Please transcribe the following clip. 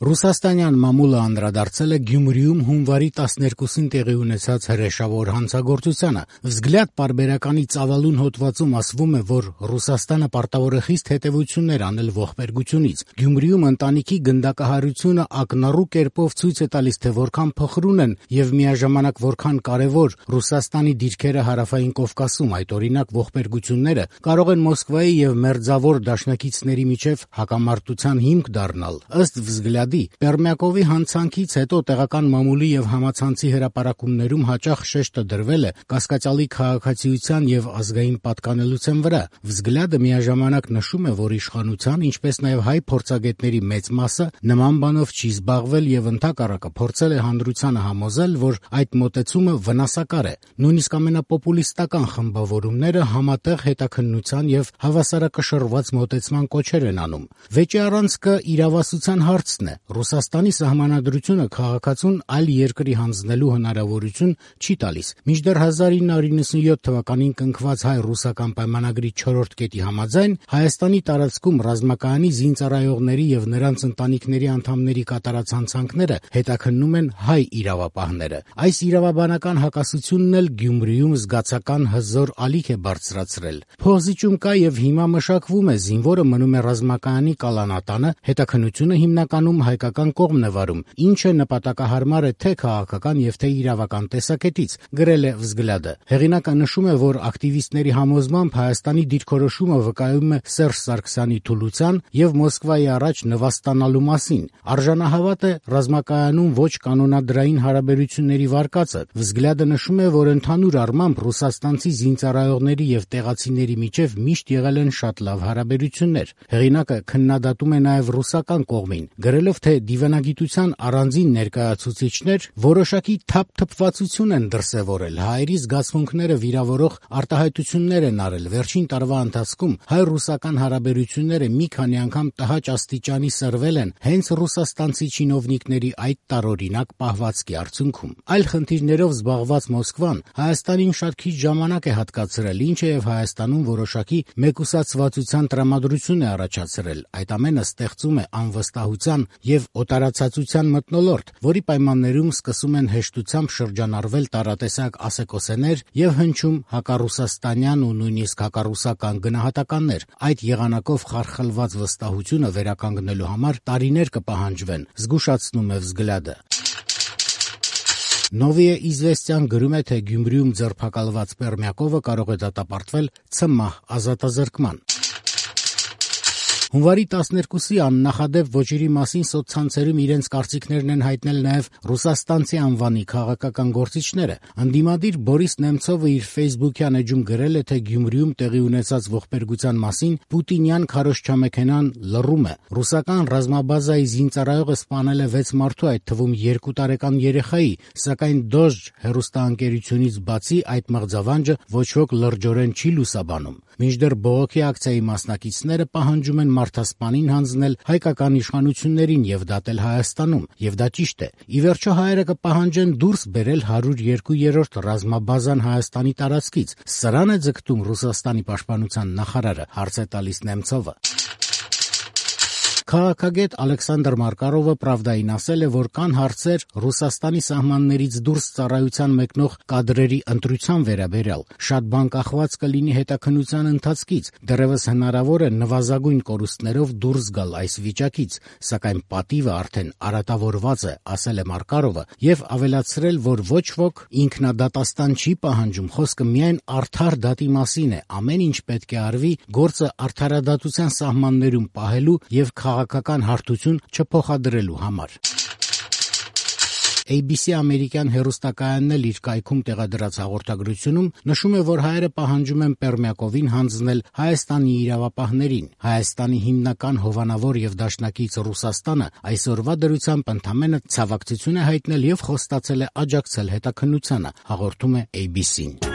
Ռուսաստանյան մամուլը անդրադարձել է Գյումրիում հունվարի 12-ին տեղի ունեցած հրեշավոր հանցագործությանը։ «Վզգլյադ» պարբերականի ծավալուն հոդվածում ասվում է, որ Ռուսաստանը պարտավոր է խիստ հետևություններ անել ողբերգությունից։ Գյումրիում ընտանիքի գնդակահարությունը ակնառու կերպով ցույց է տալիս, թե որքան փխրուն են եւ միաժամանակ որքան կարեւոր Ռուսաստանի դիրքերը Հարավային Կովկասում։ Այդ օրինակ ողբերգությունները կարող են Մոսկվայի եւ մերձավոր դաշնակիցների միջև հակամարտության հիմք դառնալ։ Ըստ «Վզգլյադի», Պերմյակովի հանցանքից հետո տեղական մամուլի եւ համացանցի հրապարակումներում հաճախ շեշտը դրվել է կասկածյալի քաղաքացիության եւ ազգային պատկանելության վրա։ «Վզգլյադը» միաժամանակ նշում է, որ իշխանության, ինչպես նաեւ հայ փորձագետների մեծ մասը նման բանով չի զբաղվել եւ ընդհակառակը փորձել է հանրությանը համոզել, որ այդ մոտեցումը վնասակար է։ Նույնիսկ ամենապոպուլիստական խմբավորումները համատեղ հետաքննության եւ հավասարակշռված մոտեցման կոչեր են անում։ Վեճի առանցքը իրավասության հարցն է։ Ռուսաստանի սահմանադրությունը քաղաքացուն այլ երկրի հանձնելու հնարավորություն չի տալիս։ Մինչդեռ 1997 թվականին կնքված հայ-ռուսական պայմանագրի 4-րդ կետի համաձայն Հայաստանի տարածքում ռազմակայանի զինծառայողների եւ նրանց ընտանիքների անդամների կատարած հանցանքները հետաքննում են հայ իրավապահները։ Այս իրավաբանական հակասությունն էլ Գյումրիում զգացական հզոր ալիք է բարձրացրել։ Փոխզիջում կա եւ հիմա մշակվում է, զինվորը մնում է ռազմակայանի կալանատանը, հետաքննությունը հիմնականում հայկական կողմն է վարում, ինչը նպատակահարմար է թե քաղաքական եւ թե իրավական տեսակետից, գրել է «Վզգլյադը»։ Հեղինակը նշում է, որ ակտիվիստների համոզմամբ Հայաստանի դիրքորոշումը վկայում է Սերժ Սարգսյանի թուլության եւ Մոսկվայի առաջ նվաստանալու մասին։ Արժանահավատ է ռազմակայանում ոչ կանոնադրային հարաբերությունների վարկածը։ «Վզգլյադը» նշում է, որ ընդհանուր առմամբ ռուսաստանցի զինծառայողների եւ տեղացիների միջև միշտ եղել են շատ լավ հարաբերություններ։ Հեղինակը քննադատում է նաեւ ռուսական կողմին, գրելով, թե դիվանագիտության առանձին ներկայացուցիչներ որոշակի թափթփվածություն են դրսևորել, հայերի զգացմունքները վիրավորող արտահայտություններ են արել։ Վերջին տարվա ընթացքում հայ-ռուսական հարաբերությունները մի քանի անգամ տհաճ աստիճանի սրվել են հենց ռուսաստանցի չինովնիկների այդ տարօրինակ պահվածքի արդյունքում։ Այլ խնդիրներով զբաղված Մոսկվան Հայաստանին շատ քիչ ժամանակ է հատկացրել, ինչը եւ Հայաստանում որոշակի մեկուսացվածության տրամադրություն է առաջացրել։ Այդ ամենը ստեղծում է անվստահության եւ օտարացածության մթնոլորտ, որի պայմաններում սկսում են հեշտությամբ շրջանառվել տարատեսակ ասեկոսեներ եւ հնչում հակառուսաստանյան ու նույնիսկ հակառուսական գնահատականներ։ Այդ եղանակով խարխլված վստահությունը վերականգնելու համար տարիներ կպահանջվեն, զգուշացնում է «Վզգլյադը»։ «Նովիե Իզվեստյան» գրում է, թե Գյումրիում ձերբակալված Պերմյակովը կարող է դատապարտվել ցմահ ազատազրկման։ Հունվարի 12-ի աննախադեպ ոճերի մասին սոցցանցերում իրենց կարծիքներն են հայտնել նաև ռուսաստանցի անվանի քաղաքական գործիչները։ Ընդդիմադիր Բորիս Նեմցովը իր ֆեյսբուքյան էջում գրել է, թե Գյումրիում տեղի ունեցած ողբերգության մասին պուտինյան քարոզչամեքենան լռում է։ Ռուսական ռազմաբազայի զինծառայողը սպանել է 6 մարդու, այդ թվում 2 տարեկան երեխայի, սակայն Դոժ հեռուստաընկերությունից բացի այդ մղձավանջը ոչ ոք լրջորեն չի լուսաբանում։ Մինչդեռ բողոքի ակցիայի մասնակիցները պահանջում են մարդասպանին հանձնել հայկական իշխանություններին եւ դատել Հայաստանում, եւ դա ճիշտ է։ Ի վերջո հայերը կպահանջեն դուրս բերել 102-րդ ռազմաբազան Հայաստանի տարածքից։ Սրան է ձգտում Ռուսաստանի պաշտպանության նախարարը, հարց է տալիս Նեմցովը։ Քաղաքագետ Ալեքսանդր Մարկարովը Պրավդային ասել է, որ կան հարցեր Ռուսաստանի սահմաններից դուրս ծառայության մեկնող կադրերի ընտրության վերաբերյալ։ Շատ բան կախված կլինի հետաքննության ընթացքից, դեռևս հնարավոր է նվազագույն կորուստներով դուրս գալ այս վիճակից, սակայն պատիվը արդեն արատավորված է, ասել է Մարկարովը, եւ ավելացրել, որ ոչ ոք ինքնադատաստան չի պահանջում, խոսքը միայն արդար դատի մասին է, ամեն ինչ պետք է արվի գործը արդարադատության սահմաններում պահելու եւ քաղաքական հարթություն չփոխադրելու համար։ ABC ամերիկյան հեռուստակայանն էլ իր կայքում տեղադրած հաղորդագրությունում նշում է, որ հայերը պահանջում են Պերմյակովին հանձնել Հայաստանի իրավապահներին։ Հայաստանի հիմնական հովանավոր եւ դաշնակից Ռուսաստանը այսօրվա դրությամբ ընդամենը ցավակցություն է հայտնել եւ խոստացել է աջակցել հետաքննությանը, հաղորդում է ABC-ն։